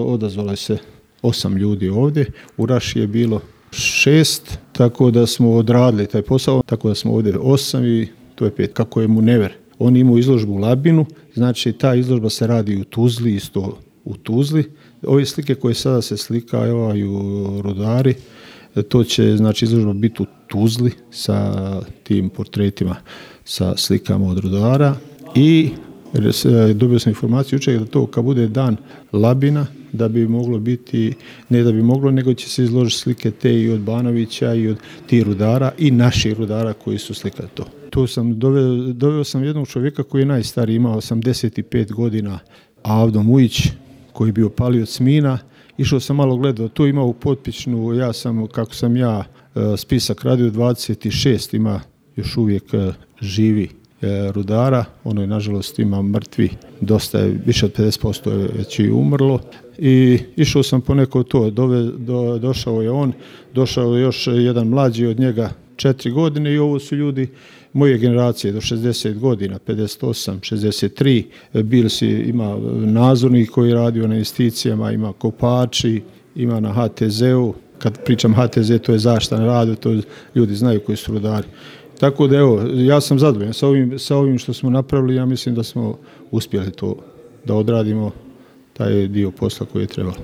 odazvalo se 8 ljudi ovdje, u Raši je bilo 6, tako da smo odradili taj posao, tako da smo ovdje 8 i to je 5. Kako je Munever? Oni imaju izložbu u Labinu, znači ta izložba se radi u Tuzli, isto u Tuzli. Ove slike koje sada se slikaju rudari, to će znači izložba biti u Tuzli sa tim portretima, sa slikama od rudara i dobio sam informaciju jučer da to kad bude dan Labina, da bi moglo biti, ne da bi moglo, nego će se izložiti slike te i od Banovića i od tih rudara i naših rudara koji su slikali to. Tu sam doveo sam jednog čovjeka koji je najstariji, imao 85 godina, Avdo Mujić, koji je bio palioc mina. Išao sam malo gledao, tu ima u Potpičnu, kako sam ja spisak radio, 26 ima još uvijek živi rudara, ono je nažalost ima mrtvi, dosta je, više od 50% je već i umrlo i išao sam poneko to, došao je on, došao je još jedan mlađi od njega 4 godine i ovo su ljudi moje generacije do 60 godina, 58, 63, ima nadzornik koji je radio na investicijama, ima kopači, ima na HTZ-u, kad pričam HTZ to je zaštita na radu, to ljudi znaju koji su rudari. Tako da evo, ja sam zadovoljan sa ovim što smo napravili, ja mislim da smo uspjeli to da odradimo taj dio posla koji je trebalo.